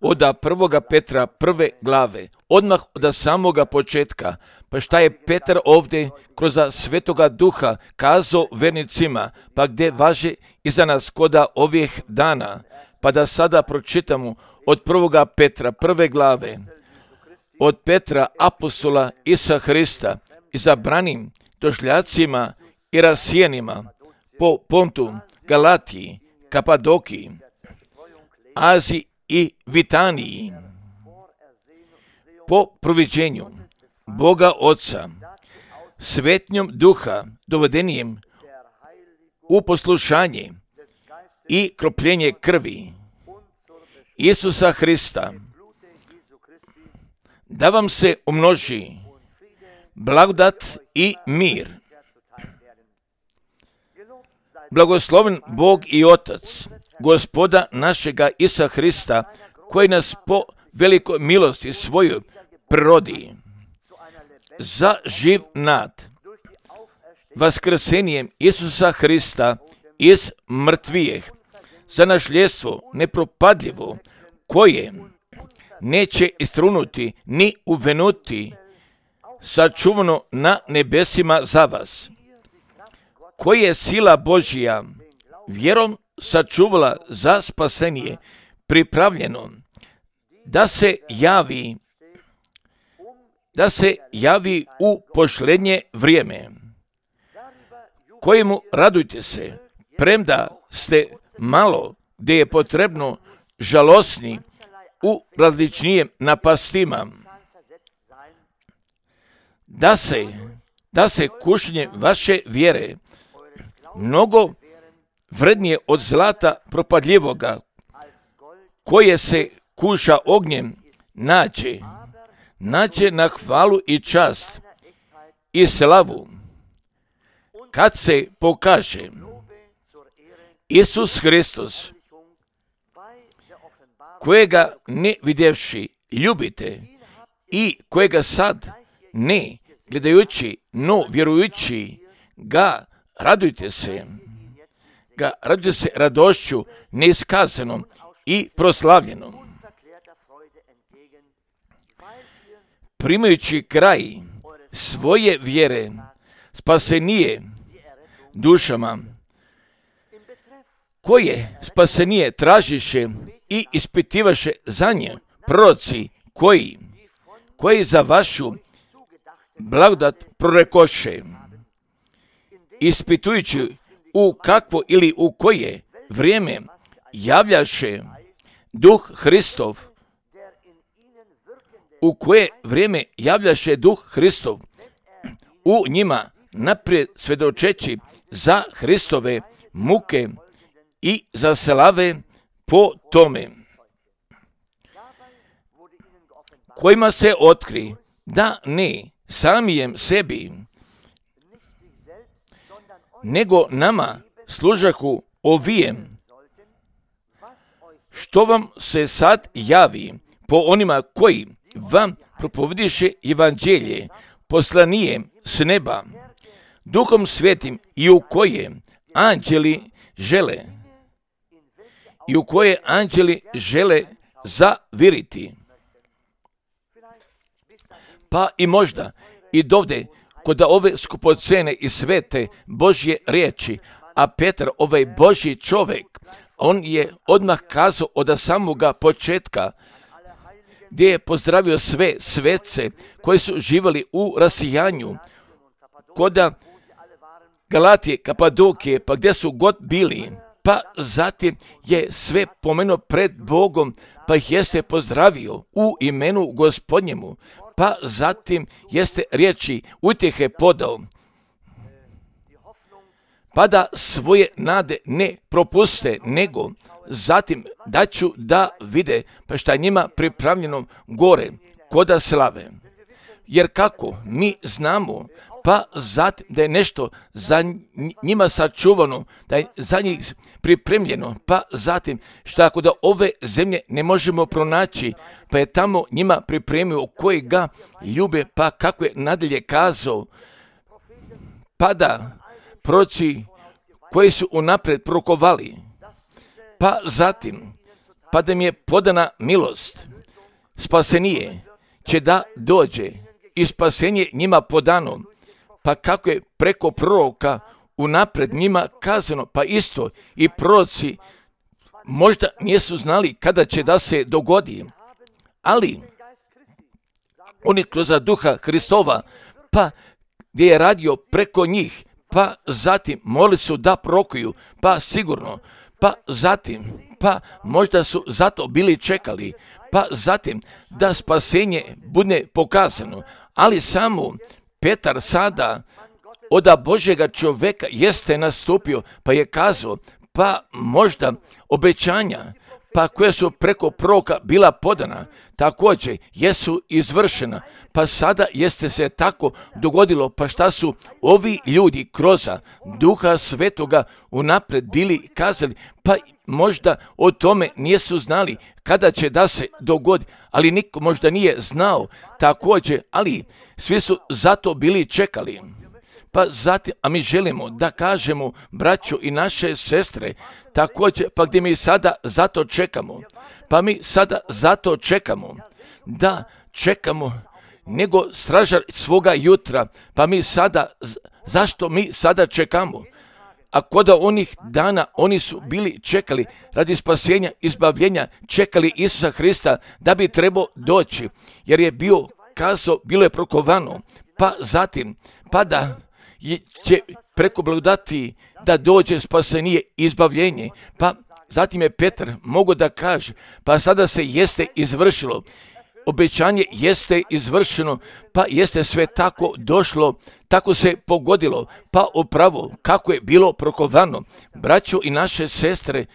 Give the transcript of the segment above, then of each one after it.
od 1. Petra 1. glave, odmah od samoga početka. Pa šta je Petar ovdje kroz Svetoga Duha kazao vernicima, pa gdje važe i za nas koda ovih dana, pa da sada pročitamo od 1. Petra 1. glave, od Petra apostola Isa Hrista, izabranim došljacima i rasijenima po Pontu, Galatiji, Kapadokiji, Aziji i Vitaniji, po proviđenju Boga Oca, svetnjom Duha, dovedenijem u poslušanje i kropljenje krvi Isusa Hrista, da vam se umnoži blagodat i mir. Blagosloven Bog i Otac, Gospoda našega Isa Hrista, koji nas po velikoj milosti svojoj prirodi za živ nad vaskrsenjem Isusa Hrista iz mrtvijeh, za nasljedstvo nepropadljivo, koje neće istrunuti ni uvenuti, sačuvano na nebesima za vas, koji je sila Božija vjerom sačuvala za spasenje, pripravljeno da se javi u posljednje vrijeme, kojemu radujte se, premda ste malo gdje je potrebno žalosni u različnijim napastima, da se kušnje vaše vjere mnogo vrednije od zlata propadljivoga, koje se kuša ognjem, nađe na hvalu i čast i slavu, kad se pokaže Isus Hristos, kojega ne vidjevši ljubite i kojega sad ne gledajući, no vjerujući ga radujte se radošću neiskazanom i proslavljenom, primajući kraj svoje vjere spasenije dušama, koje spasenije tražiše i ispitivaše za nje proroci, koji za vašu blagodat prorekoše, ispitujući u kakvo ili u koje vrijeme javljaše Duh Hristov, u njima naprijed svedočeći za Hristove muke i za slave po tome, kojima se otkri da ne samijem sebi, nego nama služahu ovijem, što vam se sad javi po onima koji vam propovediše evanđelje poslanijem s neba, Duhom Svetim, i u koje anđeli žele zaviriti. Pa i možda i dovde kod ove skupocene i svete Božje riječi, a Petar, ovaj Božji čovjek, on je odmah kazao od samoga početka, gdje je pozdravio sve svece koji su živjeli u rasijanju, koda Galatije, Kapadokije, pa gdje su god bili, pa zatim je sve pomenuo pred Bogom, pa ih jeste pozdravio u imenu Gospodnjemu, pa zatim jeste riječi utjehe podao, pa da svoje nade ne propuste, nego zatim da ću da vide pa šta je njima pripravljeno gore, koda slave. Jer kako mi znamo, pa zatim da je nešto za njima sačuvano, da je za njih pripremljeno, pa zatim šta ako da ove zemlje ne možemo pronaći, pa je tamo njima pripremio koji ga ljube, pa kako je nadalje kazao, pa da proroci koji su unaprijed prorokovali, pa zatim pa da mi je podana milost. Spasenije će da dođe i spasenje njima podano, pa kako je preko proroka unapred njima kazano, pa isto i proroci možda nisu znali kada će da se dogodi, ali oni kroz duha Hristova, pa gdje je radio preko njih, pa zatim morali su da prorokuju, pa sigurno, pa zatim, pa možda su zato bili čekali, pa zatim da spasenje bude pokazano, ali samo Petar sada od Božjega čovjeka jeste nastupio, pa je kazao, pa možda obećanja, pa koja su preko proroka bila podana, također jesu izvršena, pa sada jeste se tako dogodilo, pa šta su ovi ljudi kroz Duha Svetoga unapred bili kazali, pa možda o tome nisu znali kada će da se dogodi, ali niko možda nije znao također, ali svi su zato bili čekali. Pa zatim, a mi želimo da kažemo, braćo i naše sestre, također, pa gdje mi sada zato čekamo, pa mi sada zato čekamo, da čekamo nego stražar svoga jutra, pa mi sada, zašto mi sada čekamo? A kod onih dana oni su bili čekali radi spasenja, izbavljenja, čekali Isusa Hrista da bi trebao doći, jer je bio kazao, bilo je prokovano, pa zatim, pa da će preko blagodati da dođe spasenje, izbavljenje, pa zatim je Petar mogao da kaže, pa sada se jeste izvršilo, obećanje jeste izvršeno, pa jeste sve tako došlo, tako se pogodilo, pa upravo kako je bilo prokovano, braćo i naše sestre,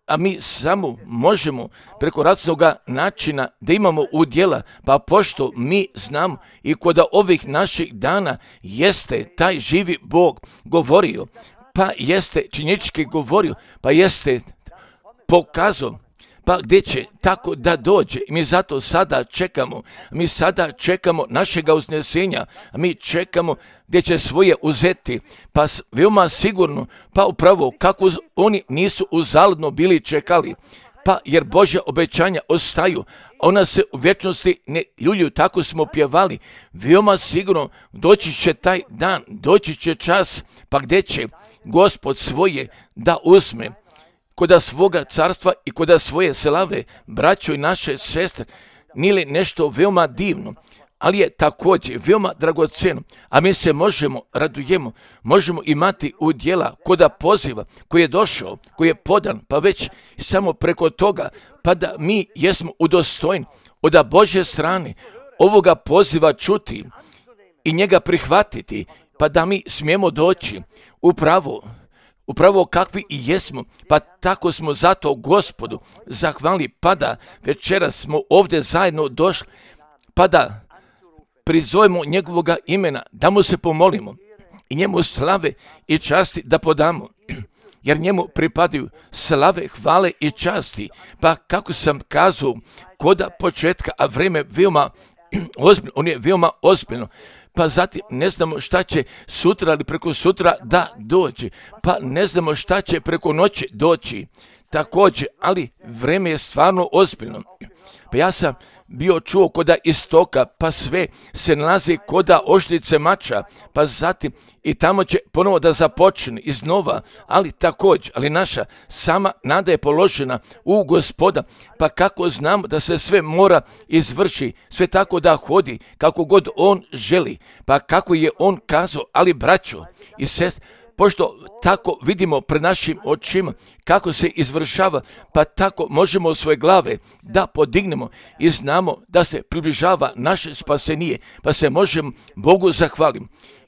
a mi samo možemo preko raznoga načina da imamo udjela, pa pošto mi znamo i kod ovih naših dana jeste taj živi Bog govorio, pa jeste činjenički govorio, pa jeste pokazao, pa gdje će tako da dođe. Mi zato sada čekamo, mi sada čekamo našega uznesenja, mi čekamo gdje će svoje uzeti, pa veoma sigurno, pa upravo kako oni nisu uzaludno bili čekali, pa jer Božja obećanja ostaju, ona se u vječnosti ne ljuljuju, tako smo pjevali, veoma sigurno doći će taj dan, doći će čas, pa gdje će Gospod svoje da uzme, koda svoga carstva i koda svoje slave, braćo i naše sestre, nije li nešto veoma divno, ali je također veoma dragoceno, a mi se radujemo, možemo imati udjela koda poziva koji je došao, koji je podan, pa već samo preko toga, pa da mi jesmo udostojni od Božje strane ovoga poziva čuti i njega prihvatiti, pa da mi smijemo doći upravo kakvi i jesmo, pa tako smo zato Gospodu zahvalili, pa da večeras smo ovdje zajedno došli, pa da prizovemo njegovoga imena, da mu se pomolimo i njemu slave i časti da podamo, jer njemu pripadaju slave, hvale i časti, pa kako sam kazao koda početka, a vrijeme veoma ozbiljno, on je veoma ozbiljno, pa zatim ne znamo šta će sutra ili preko sutra da dođe, pa ne znamo šta će preko noći doći također, ali vrijeme je stvarno ozbiljno. Pa ja sam bio čuo koda istoka, pa sve se nalazi koda oštrice mača, pa zatim i tamo će ponovo da započne iznova, ali također, ali naša sama nada je položena u Gospoda, pa kako znamo da se sve mora izvrši, sve tako da hodi kako god on želi, pa kako je on kazao, ali braćo i sestre, pošto tako vidimo pred našim očima kako se izvršava, pa tako možemo svoje glave da podignemo i znamo da se približava naše spasenije, pa se možemo Bogu zahvaliti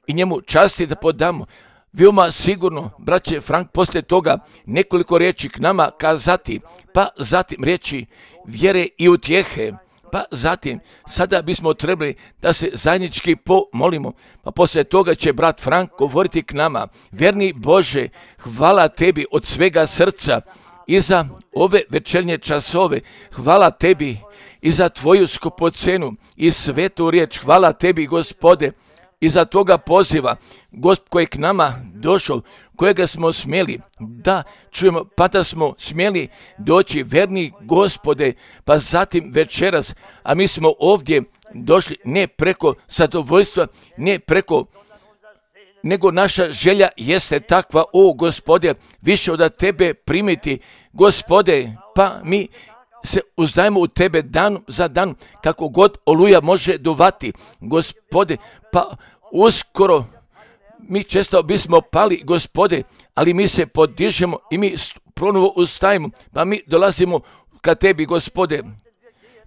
i njemu časti da podamo. Veoma sigurno, braće Frank, poslije toga nekoliko riječi k nama kazati, pa zatim riječi vjere i utjehe, pa zatim sada bismo trebali da se zajednički pomolimo, pa poslije toga će brat Frank govoriti k nama. Vjerni Bože, hvala tebi od svega srca i za ove večernje časove, hvala tebi i za tvoju skupocenu i svetu riječ, hvala tebi Gospode, iza toga poziva, koji je k nama došao, kojega smo smjeli da čujemo, pa da smo smjeli doći, verni Gospode, pa zatim večeras, a mi smo ovdje došli ne preko zadovoljstva, ne preko, nego naša želja jeste takva, o Gospode, više od tebe primiti, Gospode, pa mi se uzdajemo u tebe dan za dan, kako god oluja može duvati, Gospode, pa uskoro mi često bismo pali, Gospode, ali mi se podižemo i mi ponovo ustajemo, pa mi dolazimo ka tebi, Gospode.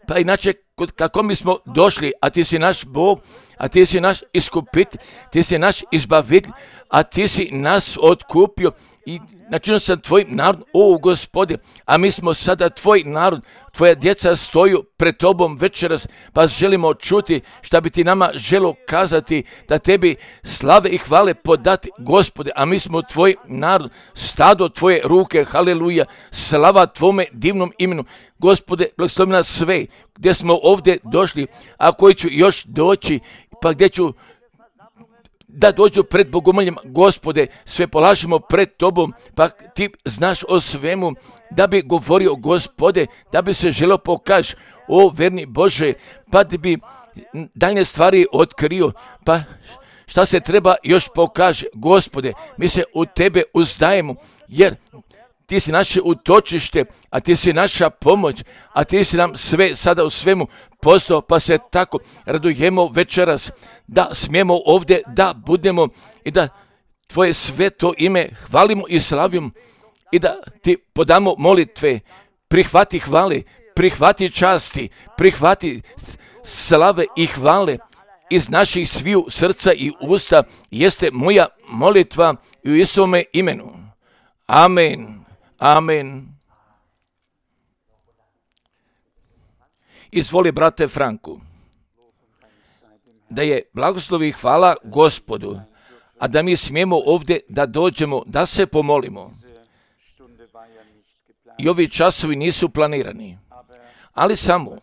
Pa inače, kako mi smo došli, a ti si naš Bog, a ti si naš iskupitelj, ti si naš izbavitelj, a ti si nas otkupio i načinio sam tvojim narodom, o Gospode, a mi smo sada tvoj narod, tvoja djeca stoju pred tobom večeras, pa želimo čuti šta bi ti nama želo kazati, da tebi slave i hvale podati, Gospode, a mi smo tvoj narod, stado tvoje ruke, haleluja, slava tvome divnom imenu, Gospode, blagoslovi nas sve, gdje smo ovdje došli, a koji ću još doći, pa gdje ću da dođu pred bogomoljama, Gospode, sve polažemo pred tobom, pa ti znaš o svemu, da bi govorio, Gospode, da bi se želo pokaži, o verni Bože, pa da bi daljne stvari otkrio, pa šta se treba još pokaže, Gospode, mi se u tebe uzdajemo, jer ti si naše utočište, a ti si naša pomoć, a ti si nam sve sada u svemu postao, pa se tako radujemo večeras da smijemo ovdje da budemo i da tvoje sveto ime hvalimo i slavimo i da ti podamo molitve, prihvati hvale, prihvati časti, prihvati slave i hvale iz naših sviju srca i usta, jeste moja molitva u Isovome imenu. Amen. Amen. Izvoli, brate Franku, da je blagoslovi i hvala Gospodu, a da mi smijemo ovdje da dođemo, da se pomolimo. I ovi časovi nisu planirani, ali samo,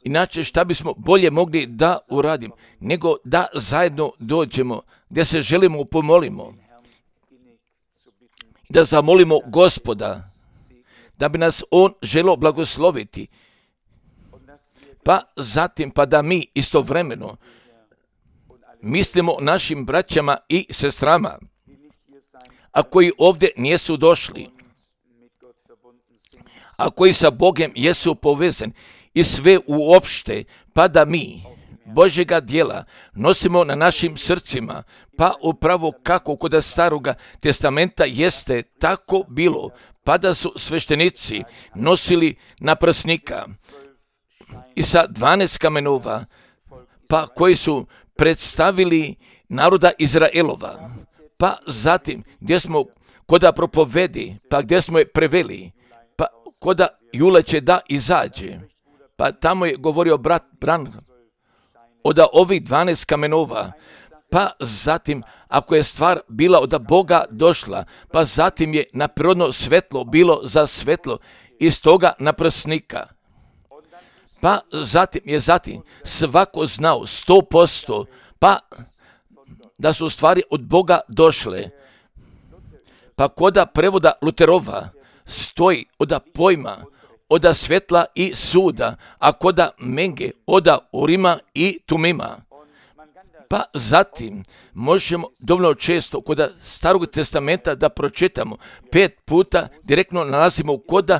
inače šta bismo bolje mogli da uradimo, nego da zajedno dođemo, gdje se želimo pomolimo. Da zamolimo Gospoda, da bi nas On želio blagosloviti, pa zatim pa da mi istovremeno mislimo našim braćama i sestrama, a koji ovdje nisu došli, a koji sa Bogom jesu povezani i sve uopšte, pa da mi Božjega djela nosimo na našim srcima, pa upravo kako kod Staroga testamenta jeste tako bilo, pa da su sveštenici nosili naprsnika i sa 12 kamenova, pa koji su predstavili naroda Izraelova, pa zatim gdje smo koda propovedi, pa gdje smo je preveli, pa koda juleće da izađe, pa tamo je govorio brat Branham od ovih 12 kamenova, pa zatim ako je stvar bila od Boga došla, pa zatim je naprirodno svetlo bilo za svetlo iz toga naprsnika. Pa zatim je svako znao 100%, pa da su stvari od Boga došle. Pa koda prevoda Luterova stoji od pojma, od svetla i suda, a koda Menge od Urima i Tumima. Pa zatim možemo dovoljno često kod Starog testamenta da pročitamo 5 puta, direktno nalazimo koda,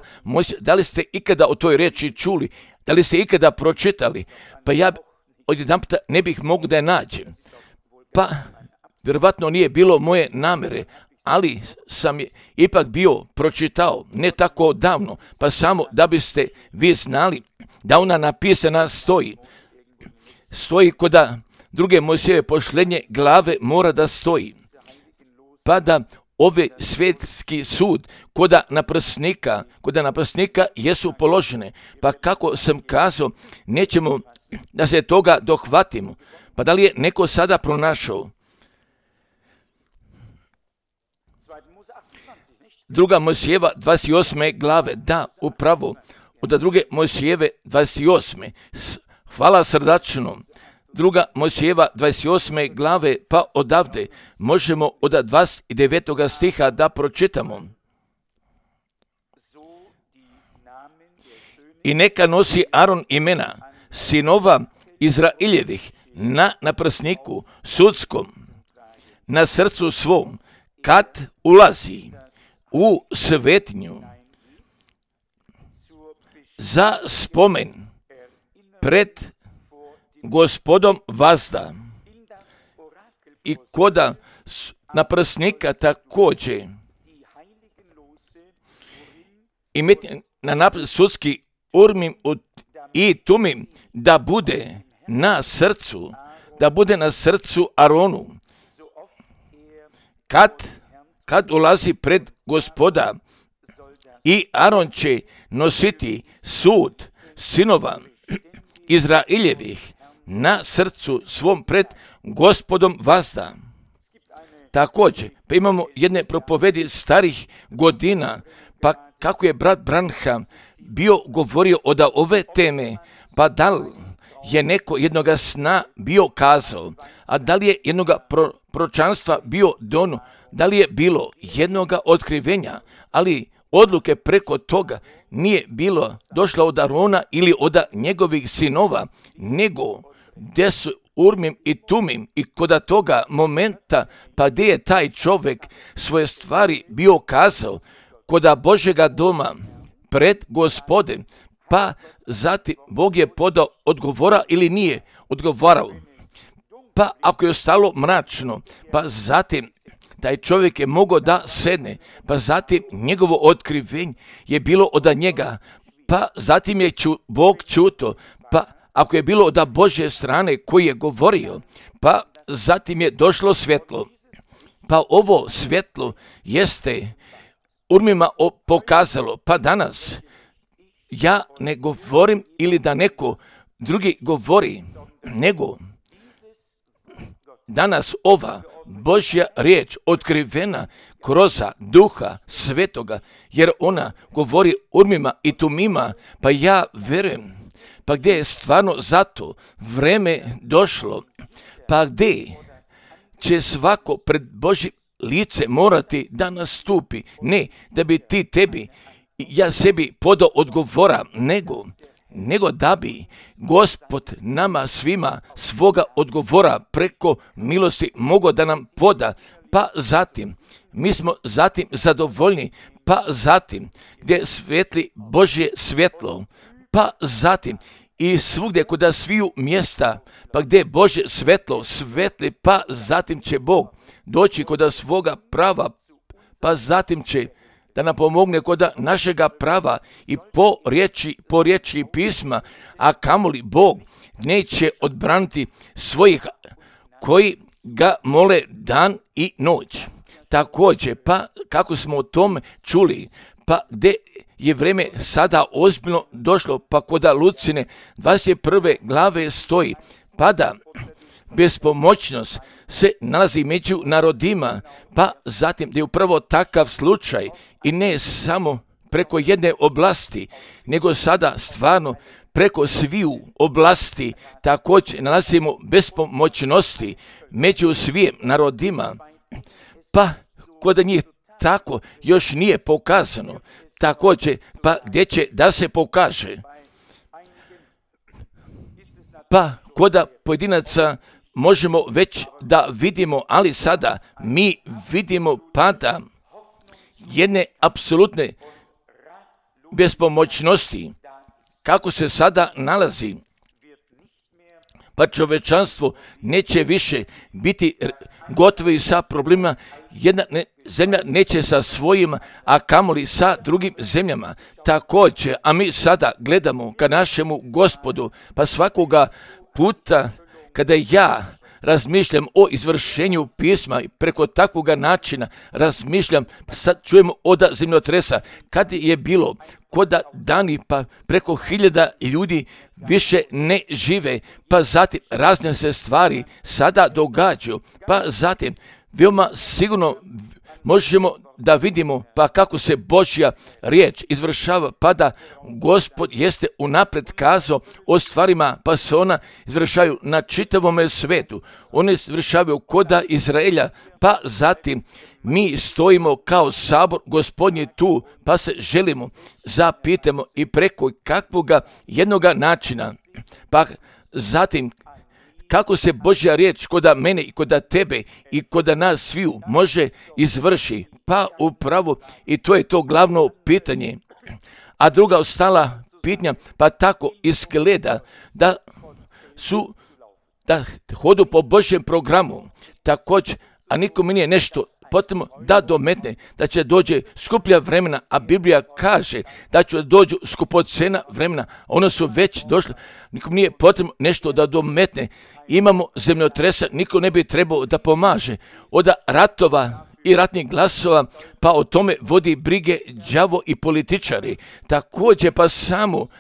da li ste ikada o toj riječi čuli, da li ste ikada pročitali, pa ja odjedanputa ne bih mogao da je nađem. Pa vjerovatno nije bilo moje namere, ali sam je ipak bio pročitao, ne tako davno, pa samo da biste vi znali da ona napisana stoji koda druge Mojsijeve posljednje glave mora da stoji, pa da ove svjetski sud koda naprsnika jesu položene, pa kako sam kazao, nećemo da se toga dohvatimo, pa da li je neko sada pronašao? Druga Mojsijeva 28. glave, da, upravo, od druge Mojsijeve 28. Hvala srdačno, Druga Mojsijeva 28. glave, pa odavde možemo od 29. stiha da pročitamo. I neka nosi Aron imena sinova Izraeljevih na naprsniku sudskom, na srcu svom, kad ulazi u svetinju, za spomen pred Gospodom vazda. I koda naprsnika također imeti na sudski Urim i Tumim da bude na srcu Aronu, kad ulazi pred Gospoda, i Aron će nositi sud sinova Izraeljevih na srcu svom pred Gospodom vazda. Također, pa imamo jedne propovedi starih godina, pa kako je brat Branham bio govorio od ove teme, pa da li je neko jednoga sna bio kazao, a da li je jednoga proročanstva bio dono, da li je bilo jednoga otkrivenja, ali odluke preko toga nije bilo došla od Arona ili od njegovih sinova, nego gdje su Urim i Tumim, i kod toga momenta, pa gdje je taj čovjek svoje stvari bio kazao kod Božjega doma pred Gospodem, pa zatim Bog je podao odgovora ili nije odgovarao. Pa ako je ostalo mračno, pa zatim taj čovjek je mogao da sedne, pa zatim njegovo otkrivenje je bilo od njega, pa zatim je Bog čuto, pa ako je bilo od Božje strane koji je govorio, pa zatim je došlo svjetlo. Pa ovo svjetlo jeste Urimima pokazalo, pa danas ja ne govorim ili da neko drugi govori, nego danas ova Božja riječ otkrivena kroz Duha Svetoga, jer ona govori Urimima i Tumima, pa ja verujem, pa gdje je stvarno zato vreme došlo, pa gdje će svako pred Božje lice morati da nastupi, ne da bi ti tebi, ja sebi podao odgovora, nego da bi Gospod nama svima svoga odgovora preko milosti mogao da nam poda, pa zatim mi smo zatim zadovoljni, pa zatim gdje svetli Božje svjetlo, pa zatim i svugdje kod sviju mjesta, pa gdje Božje svjetlo svetli, pa zatim će Bog doći kod svoga prava, pa zatim će da nam pomogne kod našega prava i po riječi pisma, a kamoli Bog neće odbraniti svojih koji ga mole dan i noć. Također, pa kako smo o tome čuli, pa gdje je vrijeme sada ozbiljno došlo, pa kod Lucine 21. glave stoji, pa da bespomoćnost se nalazi među narodima, pa zatim da je upravo takav slučaj i ne samo preko jedne oblasti, nego sada stvarno preko sviju oblasti također nalazimo bespomoćnosti među svim narodima, pa kod njih tako još nije pokazano, također pa gdje će da se pokaže. Pa kod pojedinaca možemo već da vidimo, ali sada mi vidimo pada jedne apsolutne bespomoćnosti, kako se sada nalazi. Pa čovečanstvo neće više biti gotovi sa problemima, jedna zemlja neće sa svojima, a kamoli sa drugim zemljama. Također, a mi sada gledamo ka našemu Gospodu, pa svakoga puta kada ja razmišljam o izvršenju pisma i preko takvoga načina razmišljam, pa sad čujemo od zemljotresa, kad je bilo kod dani, pa preko 1000 ljudi više ne žive, pa zatim razne se stvari sada događaju, pa zatim veoma sigurno možemo da vidimo pa kako se Božja riječ izvršava, pa da Gospod jeste unaprijed kazao o stvarima, pa se ona izvršaju na čitavome svetu. One izvršavaju koda Izraelja, pa zatim mi stojimo kao sabor Gospodnji tu, pa se želimo, zapitamo i preko kakvoga jednoga načina, pa zatim kako se Božja riječ koda mene i koda tebe i koda nas sviju može izvrši, pa upravo i to je to glavno pitanje. A druga ostala pitanja, pa tako izgleda da hodu po Božjem programu, također, a nikome nije nešto potrebno da dometne, da će dođe skuplja vremena, a Biblija kaže da će dođu skupocena vremena, ona su već došla, nikom nije potrebno nešto da dometne. Imamo zemljotresa, niko ne bi trebao da pomaže. Od ratova i ratnih glasova, pa o tome vodi brige đavo i političari. Također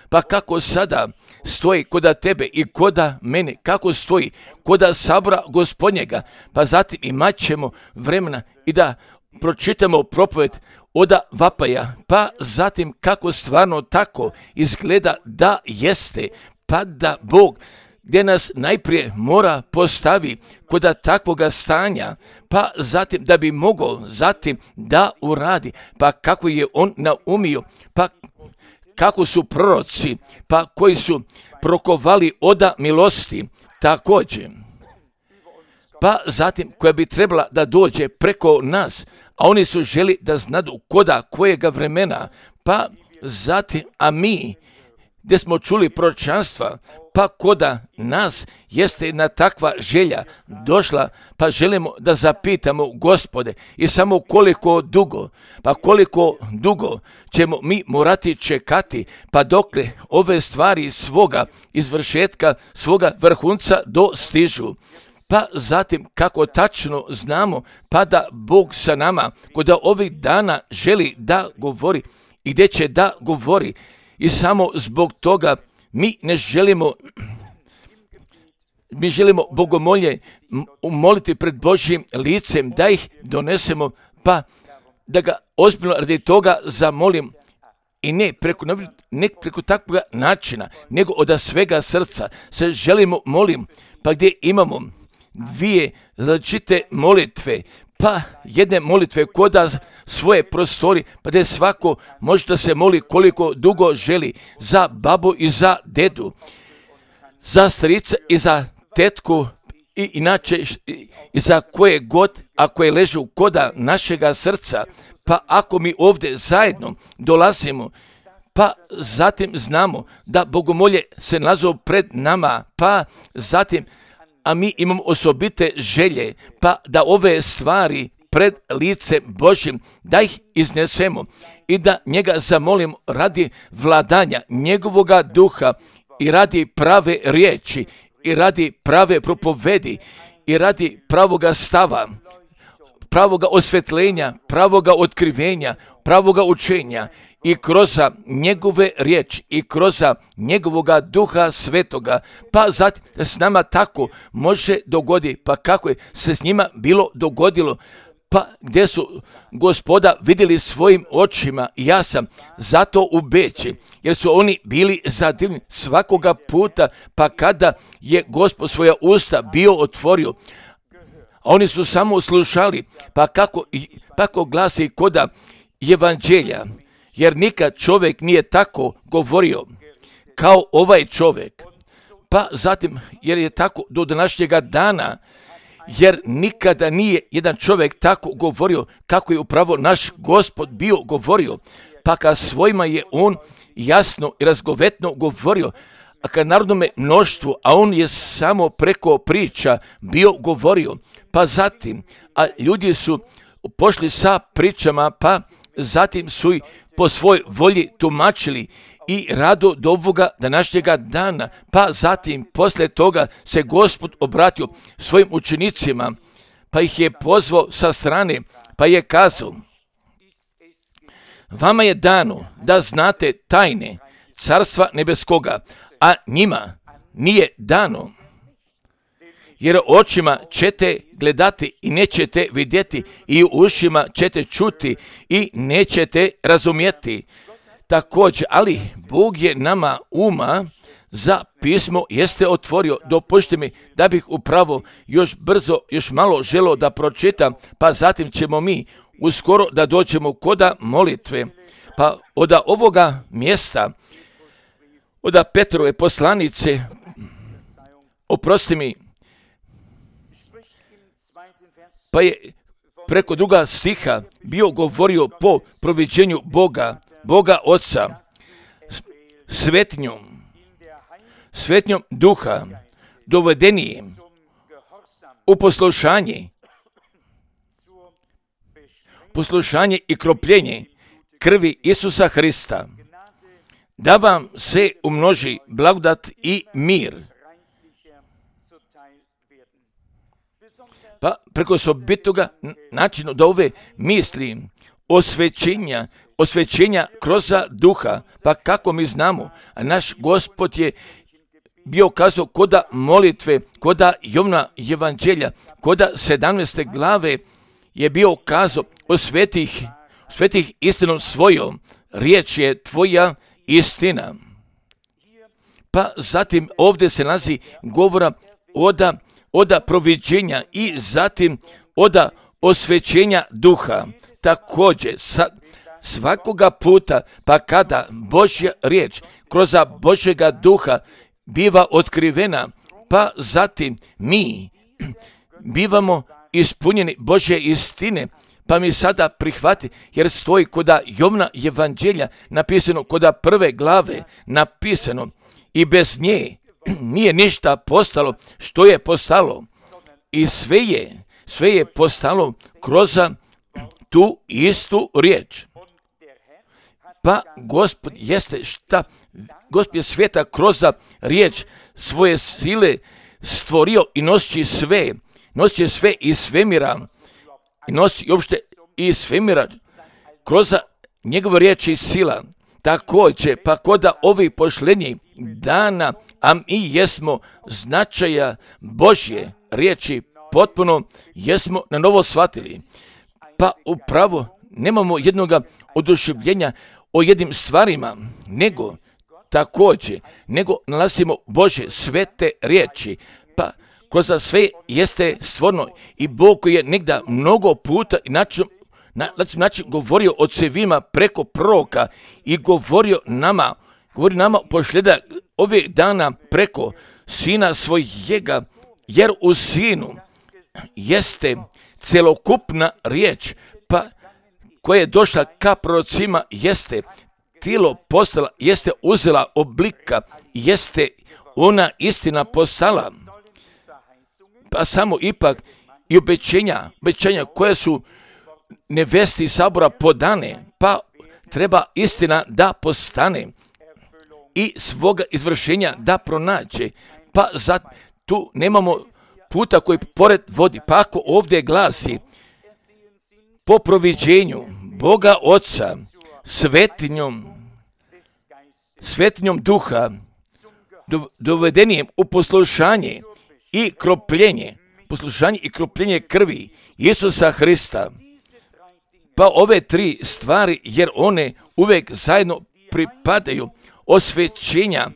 pa kako sada stoji koda tebe i koda mene, kako stoji koda sabora Gospodnjega, pa zatim imat ćemo vremena i da pročitamo propoved od vapaja, pa zatim kako stvarno tako izgleda da jeste, pa da Bog gdje nas najprije mora postavi koda takvoga stanja, pa zatim da bi mogao zatim da uradi, pa kako je on naumio, pa kako su proroci, pa koji su prokovali oda milosti, također, pa zatim koja bi trebala da dođe preko nas, a oni su želi da znadu koda kojega vremena, pa zatim, a mi gdje smo čuli proročanstva, pa koda nas jeste jedna takva želja došla, pa želimo da zapitamo Gospode i samo koliko dugo ćemo mi morati čekati, pa dokle ove stvari svoga izvršetka, svoga vrhunca dostižu. Pa zatim kako tačno znamo, pa da Bog sa nama koda ovih dana želi da govori i gdje će da govori. I samo zbog toga mi želimo bogomolje moliti pred Božjim licem, da ih donesemo, pa da ga ozbiljno radi toga zamolim i ne preko takvog načina, nego od svega srca se želimo molim, pa gdje imamo dvije različite molitve, pa jedne molitve koda svoje prostori, pa da svako može da se moli koliko dugo želi, za babu i za dedu, za strica i za tetku i inače i za koje god, ako je ležu koda našega srca, pa ako mi ovdje zajedno dolazimo, pa zatim znamo da bogomolje se nalazi pred nama, pa zatim a mi imamo osobite želje, pa da ove stvari pred lice Božjim, da ih iznesemo i da njega zamolimo radi vladanja njegovoga duha i radi prave riječi i radi prave propovedi i radi pravoga stava, pravoga osvetljenja, pravoga otkrivenja, pravoga učenja i kroz njegove riječi i kroz njegovoga duha svetoga, pa zatim s nama tako može dogodi, pa kako je se s njima bilo dogodilo, pa gdje su Gospoda vidjeli svojim očima, ja sam zato u Beći, jer su oni bili zadivljeni svakoga puta, pa kada je Gospod svoja usta bio otvorio, oni su samo slušali, pa kako glasi koda evanđelja, jer nikad čovjek nije tako govorio kao ovaj čovjek. Pa zatim, jer je tako do današnjega dana, jer nikada nije jedan čovjek tako govorio kako je upravo naš Gospod bio govorio, pa kad svojima je on jasno i razgovetno govorio, a kad narodnome mnoštvu, a on je samo preko priča bio govorio, pa zatim, a ljudi su pošli sa pričama, pa zatim su i po svoj volji tumačili i rado do ovoga današnjega dana, pa zatim poslije toga se Gospod obratio svojim učenicima, pa ih je pozvao sa strane, pa je kazao: vama je dano da znate tajne Carstva nebeskoga, a njima nije dano. jer očima ćete gledati i nećete vidjeti, i ušima ćete čuti i nećete razumjeti. Također, ali Bog je nama uma za pismo jeste otvorio. Dopustite mi da bih upravo još brzo, još malo želio da pročitam, pa zatim ćemo mi uskoro da dođemo koda molitve. Pa od ovoga mjesta, od Petrove poslanice, oprosti mi, pa je preko druga stiha bio govorio po proviđenju Boga Oca, svetnjom duha, dovedenijem u poslušanje i kropljenje krvi Isusa Hrista, da vam se umnoži blagodat i mir. Pa preko osobitoga načinu da ove misli osvećenja kroz duha, pa kako mi znamo, a naš Gospod je bio kazao koda molitve, koda Jovna evanđelja, koda 17. glave je bio kazao o svetih istinom svojom, riječ je tvoja istina. Pa zatim ovdje se nalazi govora oda proviđenja i zatim oda osvećenja duha. Također svakoga puta, pa kada Božja riječ kroz Božjega duha biva otkrivena, pa zatim mi bivamo ispunjeni Božje istine, pa mi sada prihvati, jer stoji koda Jovna evanđelja napisano, koda 1. glave napisano, i bez nje nije ništa postalo što je postalo, i sve je postalo kroz tu istu riječ. Pa Gospod je sveta kroz riječ svoje sile stvorio i nosi sve iz svemira, i nosi uopšte iz svemira kroz njegove riječi i sila. Također, pa koda ovih pošlenjih dana, a mi jesmo značaja Božje riječi potpuno jesmo na novo shvatili. Pa upravo nemamo jednoga oduševljenja o jednim stvarima, nego nalazimo Božje svete riječi, pa kroz sve jeste stvorno, i Bog koji je negdje mnogo puta i način govorio ocevima preko proroka i govori nama pošljeda ovih dana preko Sina svojega, jer u Sinu jeste celokupna riječ, pa koja je došla ka prorocima, jeste tijelo postala, jeste uzela oblika, jeste ona istina postala. Pa samo ipak i obećanja koja su nevesti sabora podane, pa treba istina da postane i svoga izvršenja da pronađe, pa tu nemamo puta koji pored vodi, pa ako ovdje glasi po proviđenju Boga Oca, svetinjom duha, dovedenijem u poslušanje i kropljenje krvi Isusa Hrista. Pa ove tri stvari, jer one uvijek zajedno pripadaju, osvećenja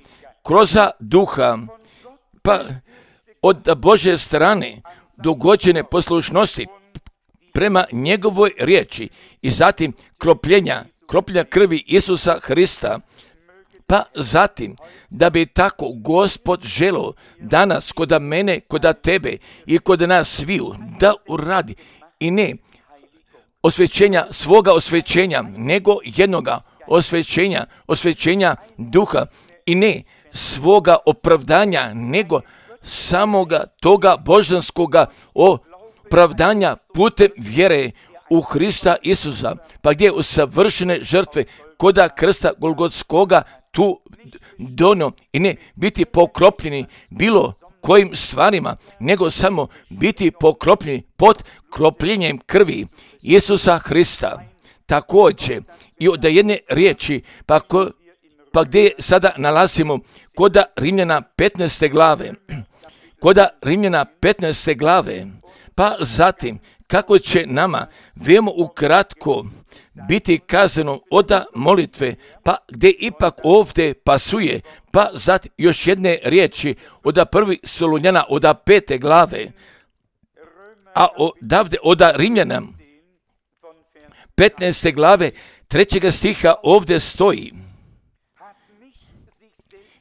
kroz duha, pa od Božje strane dogođene poslušnosti prema njegovoj riječi, i zatim kropljenja krvi Isusa Hrista, pa zatim da bi tako Gospod želio danas koda mene, koda tebe i koda nas sviju da uradi, i ne svoga osvećenja, nego jednoga osvećenja duha, i ne svoga opravdanja, nego samoga toga božanskoga opravdanja putem vjere u Hrista Isusa, pa gdje u savršene žrtve koda krsta Golgotskoga tu donio, i ne biti pokropljeni bilo kojim stvarima, nego samo biti pokropljeni pod kropljenjem krvi Isusa Hrista. Također i od jedne riječi, pa gdje sada nalazimo koda Rimljana 15. glave, Koda Rimljana 15. glave, pa zatim kako će nama veoma ukratko biti kazano od molitve, pa gdje ipak ovdje pasuje, pa zatim još jedne riječi od prvi Solunjana od 5. glave, a odavde od Rimljana 15. glave 3. stiha ovdje stoji: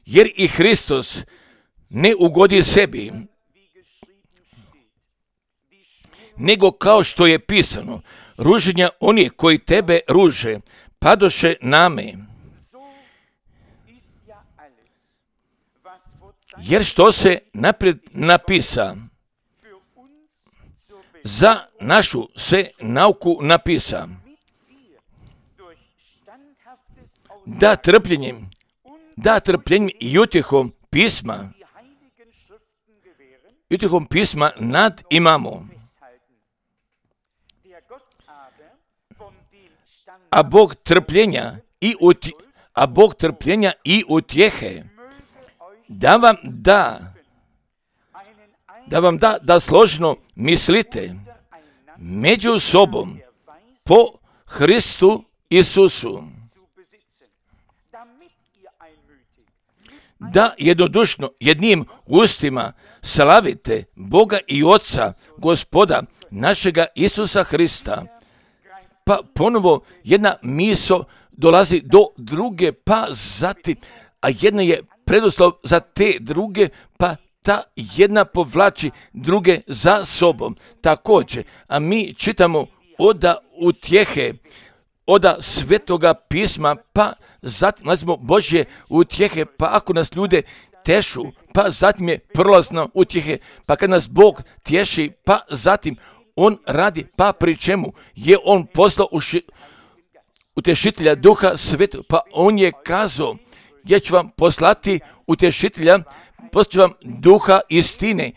jer i Hristos ne ugodi sebi, nego kao što je pisano, ruženja oni koji tebe ruže, padoše name. Jer što se naprijed napisa, za našu se nauku napisa, da trpljenjem i utjehom pisma nad imamo. A Bog trpljenja i utjehe da vam da složno mislite među sobom po Hristu Isusu, da jednodušno jednim ustima slavite Boga i Oca, Gospoda našega Isusa Hrista. Pa ponovo jedna misao dolazi do druge, pa zatim, a jedna je preduslov za te druge, pa ta jedna povlači druge za sobom. Također, a mi čitamo od utjehe, od Svetoga pisma, pa zatim nalazimo Božje utjehe, pa ako nas ljude tešu, pa zatim je prolazno utjehe, pa kad nas Bog tješi, pa zatim On radi, pa pri čemu je On poslao utješitelja Duha Svetog, pa On je kazao: ja ću vam poslati utješitelja, poslat ću vam Duha istine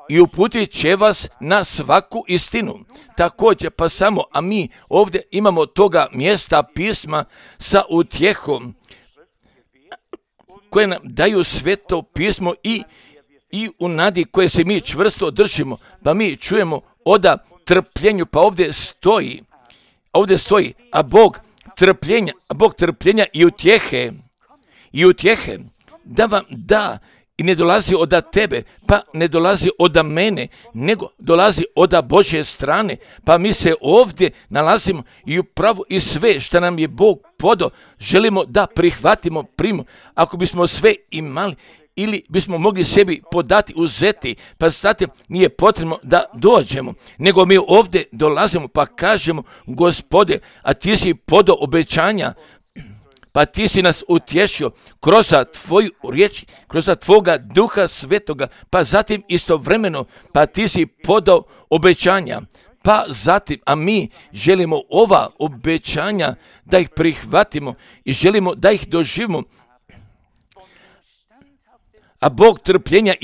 i uputit će vas na svaku istinu. Također, pa samo, a mi ovdje imamo toga mjesta pisma sa utjehom koje nam daju Sveto pismo i u nadi koje se mi čvrsto držimo, pa mi čujemo od trpljenju, pa ovdje stoji, a Bog trpljenja i utjehe da vam da, i ne dolazi od tebe, pa ne dolazi od mene, nego dolazi od Božje strane, pa mi se ovdje nalazimo i upravo i sve što nam je Bog podao želimo da prihvatimo, primimo. Ako bismo sve imali ili bismo mogli sebi podati, uzeti, pa zatim nije potrebno da dođemo, nego mi ovdje dolazimo pa kažemo: Gospode, a ti si podao obećanja, pa ti si nas utješio kroz tvoju riječ, kroz tvoga Duha Svetoga, pa zatim istovremeno, pa ti si podao obećanja, pa zatim, a mi želimo ova obećanja da ih prihvatimo i želimo da ih doživimo. A Bog trpljenja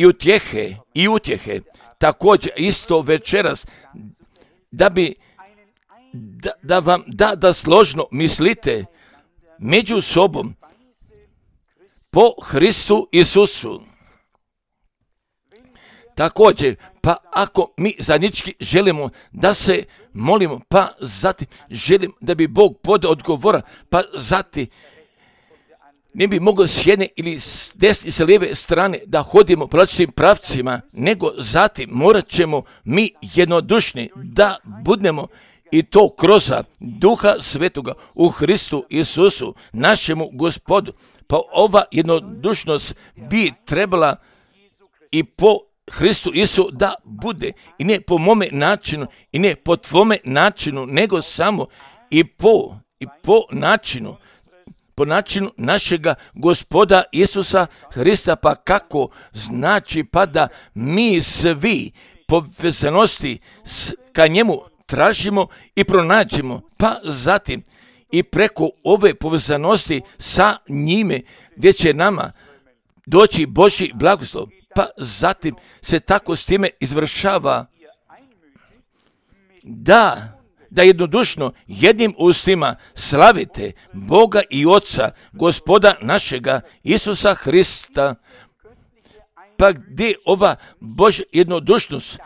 i utjehe također isto večeras da vam da složno mislite među sobom po Hristu Isusu. Također, pa ako mi zajednički želimo da se molimo, pa zatim želim da bi Bog podao odgovora, pa zatim ne bi mogao s jedne ili s desne i s lijeve strane da hodimo po različitim pravcima, nego zatim morat ćemo mi jednodušni da budemo, i to kroz Duha Svetoga u Hristu Isusu, našemu Gospodu. Pa ova jednodušnost bi trebala i po Hristu Isusu da bude, i ne po mome načinu, i ne po tvome načinu, nego samo i po načinu našega Gospoda Isusa Hrista. Pa kako? Znači, pa da mi svi povezanosti ka njemu tražimo i pronađemo, pa zatim i preko ove povezanosti sa njime, gdje će nama doći Božji blagoslov, pa zatim se tako s time izvršava da jednodušno jednim ustima slavite Boga i Oca, Gospoda našega Isusa Hrista. pa gdje ova Božja jednodušnost,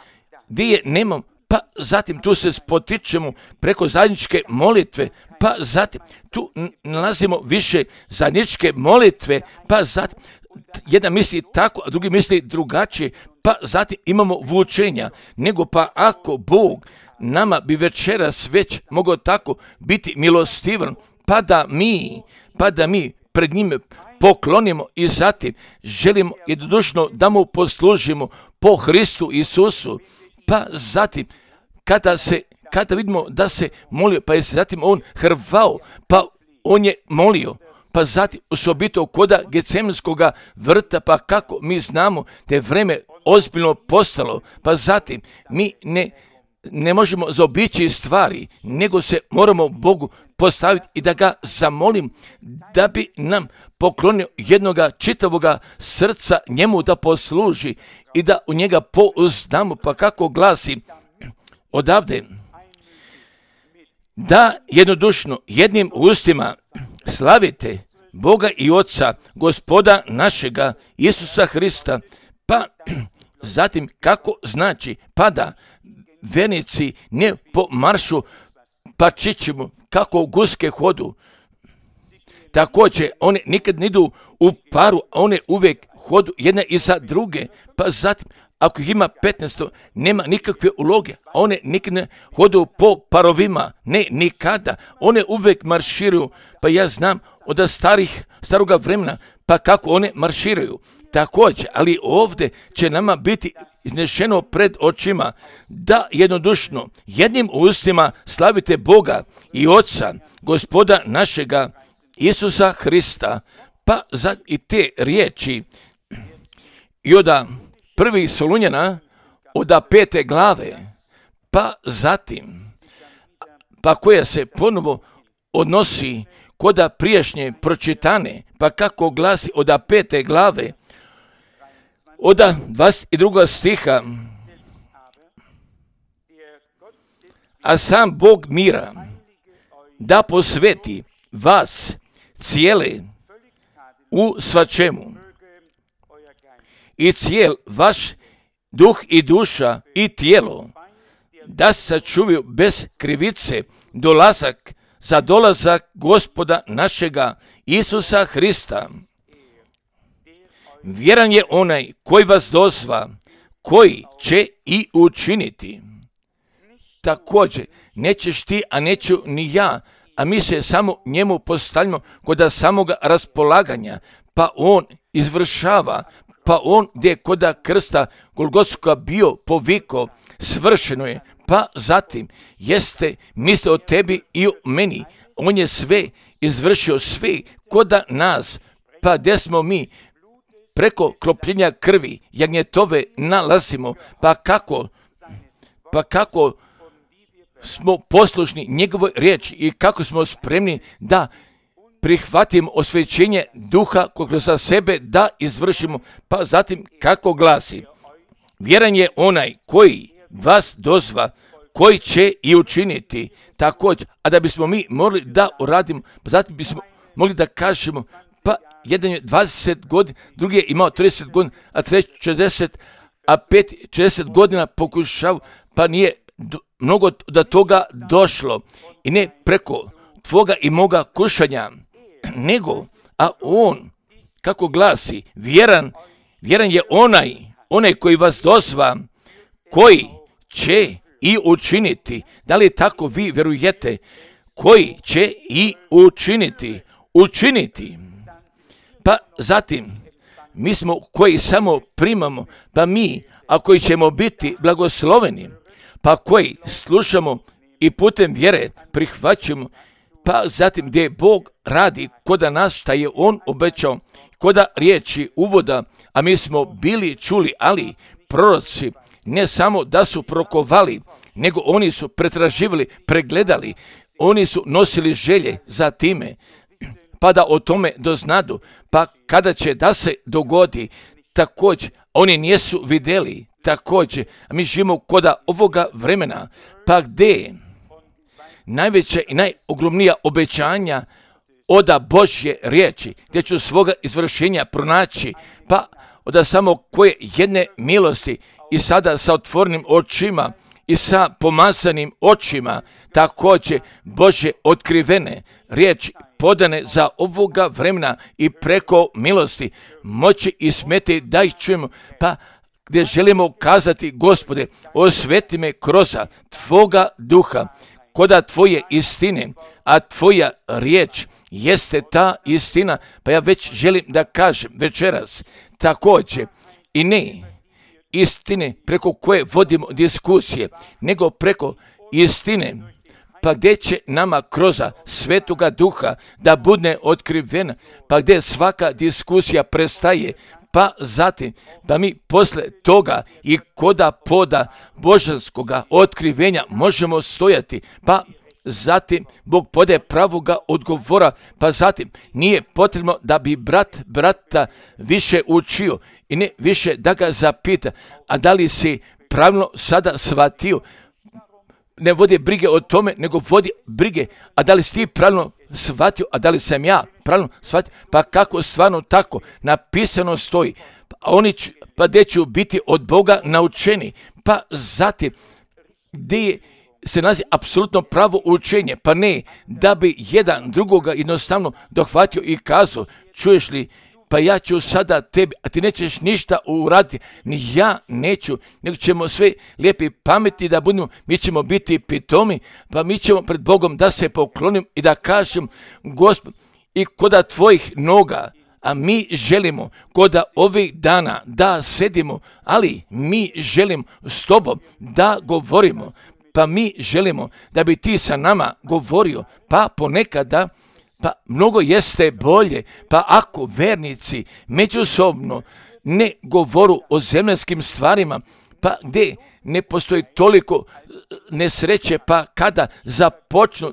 gdje je nemam, pa zatim tu se spotičemo preko zajedničke molitve, pa zatim tu nalazimo više zajedničke molitve, pa zatim jedan misli tako, a drugi misli drugačije, pa zatim imamo vučenja, nego pa ako Bog nama bi večeras već mogao tako biti milostivan, pa da mi pred njime poklonimo i zatim želimo jednodušno da mu poslužimo po Hristu Isusu, pa zatim kada vidimo da se molio, pa je zatim on hrvao, pa on je molio, pa zatim osobito koda Getsemanskoga vrta, pa kako mi znamo da je vreme ozbiljno postalo, pa zatim mi ne možemo zaobići stvari, nego se moramo Bogu postaviti i da ga zamolim da bi nam poklonio jednoga čitavoga srca njemu da posluži i da u njega pouzdamo, pa kako glasi odavde, da jednodušno jednim ustima slavite Boga i Oca, Gospoda našega Isusa Hrista, pa zatim kako znači, pa da vernici ne po maršu pa čičimo kako guske hodu. Također, one nikad ne idu u paru, a one uvijek hodu jedna iza druge, pa zatim ako ih ima 15, nema nikakve uloge, a one nikad ne hodu po parovima, ne, nikada, one uvijek marširaju, pa ja znam od staroga vremena, pa kako one marširaju. Također, ali ovdje će nama biti iznešeno pred očima da jednodušno jednim ustima slavite Boga i Oca, Gospoda našega Isusa Hrista, pa za i te riječi i od 1. Solunjana od 5. glave, pa zatim, pa koja se ponovo odnosi koda prijašnje pročitane, pa kako glasi od 5. glave, od 22. stiha, a sam Bog mira da posveti vas cijele u svačemu i cijel vaš duh i duša i tijelo, da se sačuvaju bez krivice za dolazak Gospoda našega Isusa Hrista. Vjeran je onaj koji vas dozva, koji će i učiniti. Također, nećeš ti, a neću ni ja, a mi se samo njemu postavljamo kod samoga raspolaganja, pa on izvršava, pa on gdje koda krsta Golgotskoga bio poviko, svršeno je, pa zatim jeste misle o tebi i o meni, on je sve izvršio, sve koda nas, pa gdje smo mi preko kropljenja krvi jagnjetove nalazimo, pa kako smo poslušni njegovoj riječi i kako smo spremni da prihvatimo osvećenje duha kroz za sebe da izvršimo, pa zatim kako glasi, vjeran je onaj koji vas dozva, koji će i učiniti također, a da bismo mi morali da uradimo, pa zatim bismo mogli da kažemo, pa jedan je 20 godina, drugi je imao 30 godina, a treći 40, a peti 40 godina pokušao, pa nije mnogo do toga došlo i ne preko tvoga i moga kušanja, nego, a on, kako glasi, vjeran je onaj koji vas dozva, koji će i učiniti. Da li tako vi vjerujete? Koji će i učiniti. Pa zatim, mi smo koji samo primamo, pa mi, a koji ćemo biti blagosloveni, pa koji slušamo i putem vjere prihvaćamo, pa zatim gdje Bog radi koda nas šta je On obećao, koda riječi uvoda, a mi smo bili čuli, ali proroci ne samo da su prokovali, nego oni su pretraživali, pregledali, oni su nosili želje za time, pa da o tome doznadu, pa kada će da se dogodi, također oni nisu vidjeli, također, a mi živimo koda ovoga vremena, pa gdje najveća i najogromnija obećanja oda Božje riječi, gdje ću svoga izvršenja pronaći, pa od samo koje jedne milosti i sada sa otvorenim očima i sa pomazanim očima, također Bože otkrivene riječi podane za ovoga vremena i preko milosti moći i smeti da ih čujemo, pa gdje želimo kazati, Gospode, osveti me kroz Tvoga duha, koda Tvoje istine, a Tvoja riječ jeste ta istina, pa ja već želim da kažem večeras također i ne istine preko koje vodimo diskusije, nego preko istine, pa gdje će nama kroz Svetoga Duha da bude otkrivena, pa gdje svaka diskusija prestaje, pa zatim da mi posle toga i koda poda božanskoga otkrivenja možemo stojati, pa zatim Bog pode pravoga odgovora, pa zatim nije potrebno da bi brata više učio i ne više da ga zapita, a da li si pravilno sada shvatio. Ne vodi brige o tome, nego vodi brige, a da li si ti pravilno shvatio, a da li sam ja pravilno shvatio, pa kako stvarno tako napisano stoji, pa gdje ću biti od Boga naučeni, pa zatim gdje se nalazi apsolutno pravo učenje, pa ne da bi jedan drugoga jednostavno dohvatio i kazao, čuješ li, pa ja ću sada tebi, a ti nećeš ništa uraditi, ni ja neću, nego ćemo sve lijepi pameti da budemo, mi ćemo biti pitomi, pa mi ćemo pred Bogom da se poklonim i da kažem, Gospod, i koda tvojih noga, a mi želimo koda ovih dana da sedimo, ali mi želimo s tobom da govorimo, pa mi želimo da bi ti sa nama govorio, pa ponekada, pa mnogo jeste bolje, pa ako vernici međusobno ne govoru o zemaljskim stvarima, pa gdje ne postoji toliko nesreće, pa kada započnu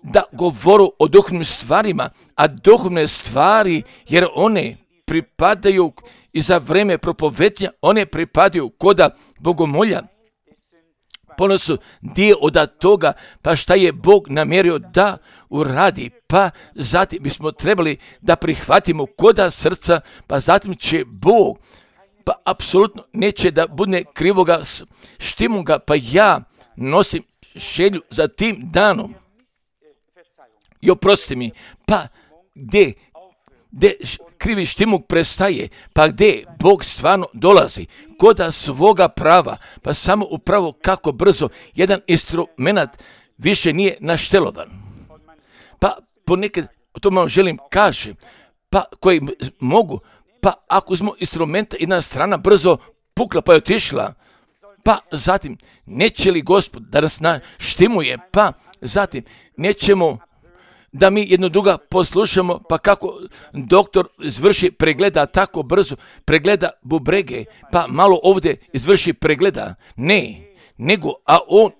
da govoru o duhovnim stvarima, a duhovne stvari, jer one pripadaju i za vreme propovednja, one pripadaju koda bogomolja, ono su dio od toga, pa šta je Bog namjerio da uradi, pa zatim bismo trebali da prihvatimo koda srca, pa zatim će Bog, pa apsolutno neće da bude krivoga štimuga, pa ja nosim želju za tim danom. I oprosti mi, pa gdje krivi štimuk prestaje, pa gdje Bog stvarno dolazi, koda svoga prava, pa samo upravo kako brzo jedan instrument više nije naštelovan. Pa ponekad, to vam želim kažem, pa koji mogu, pa ako smo instrumenta, jedna strana brzo pukla pa je otišla, pa zatim neće li Gospod da nas naštimuje, pa zatim nećemo da mi jedno druga poslušamo, pa kako doktor izvrši pregleda tako brzo, pregleda bubrege, pa malo ovdje izvrši pregleda. Ne, nego, a on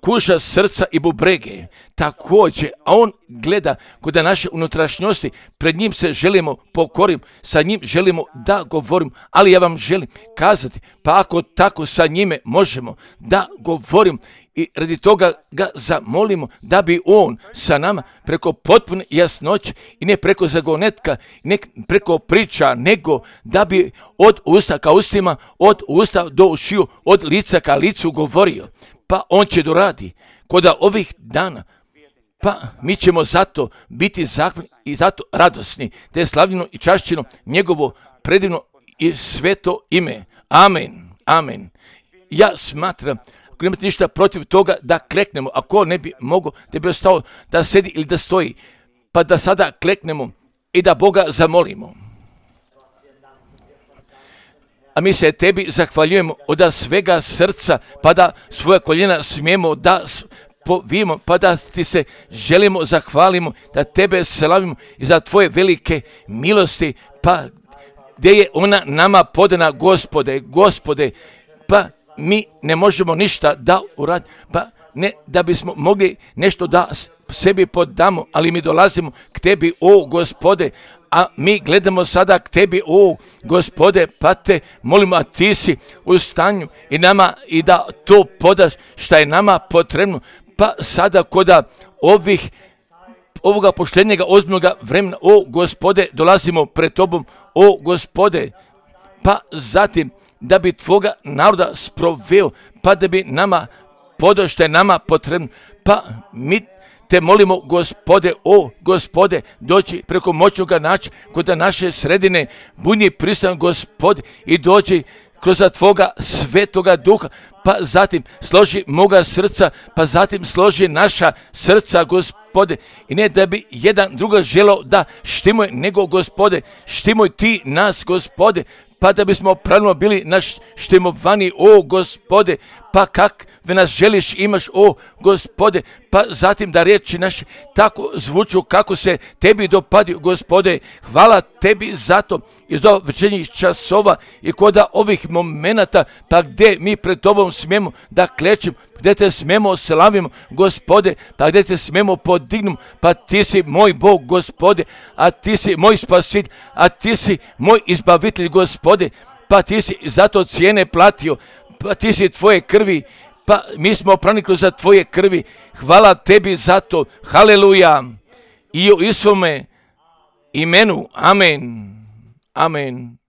kuša srca i bubrege. Također, a on gleda kod naše unutrašnjosti, pred njim se želimo pokorim, sa njim želimo da govorim, ali ja vam želim kazati, pa ako tako sa njime možemo da govorim, i radi toga ga zamolimo da bi on sa nama preko potpune jasnoće i ne preko zagonetka, ne preko priča, nego da bi od usta ka ustima, od usta do ušiju, od lica ka licu govorio. Pa on će doradi kod ovih dana. Pa mi ćemo zato biti zahvalni i zato radosni, te je slavljeno i čašćeno njegovo predivno i sveto ime. Amen. Amen. Ja smatram, ako nemate ništa protiv toga da kleknemo, ako ne bi mogao da bi ostao da sedi ili da stoji, pa da sada kleknemo i da Boga zamolimo. A mi se tebi zahvaljujemo od svega srca, pa da svoja koljena smijemo da povijemo, pa da ti se želimo zahvalimo, da tebe slavimo i za tvoje velike milosti, pa gdje je ona nama podana, Gospode, pa mi ne možemo ništa da uradimo, pa ne da bismo mogli nešto da sebi podamo, ali mi dolazimo k tebi, o Gospode, a mi gledamo sada k tebi, o Gospode, pa te molimo, a ti si u stanju i nama i da to podaš šta je nama potrebno, pa sada koda ovoga poštenjega ozbiljnoga vremena, o Gospode, dolazimo pred tobom, o Gospode, pa zatim da bi tvoga naroda sproveo, pa da bi nama podao što je nama potrebno, pa mi te molimo, Gospode, o Gospode, doći preko moćnoga načina kod naše sredine, budi prisutan, Gospode, i doći kroz tvoga svetoga duha, pa zatim složi moga srca, pa zatim složi naša srca, Gospode, i ne da bi jedan druga želao da štimuje, nego, Gospode, štimuj ti nas, Gospode, pa da bismo pravilno bili naštimovani, o Gospode, pa kakve nas želiš imaš, o Gospode, pa zatim da riječi naše tako zvuču kako se tebi dopadio, Gospode. Hvala tebi za to i za večernjih časova i kod ovih momenata, pa gdje mi pred tobom smijemo da klečimo, gdje te smijemo slavimo, Gospode, pa gdje te smijemo podignemo, pa ti si moj Bog, Gospode, a ti si moj spasitelj, a ti si moj izbavitelj, Gospode, pa ti si zato cijene platio, pa ti si tvoje krvi, pa mi smo pronikli za tvoje krvi. Hvala tebi za to. Haleluja. I u Isuvome imenu. Amen. Amen.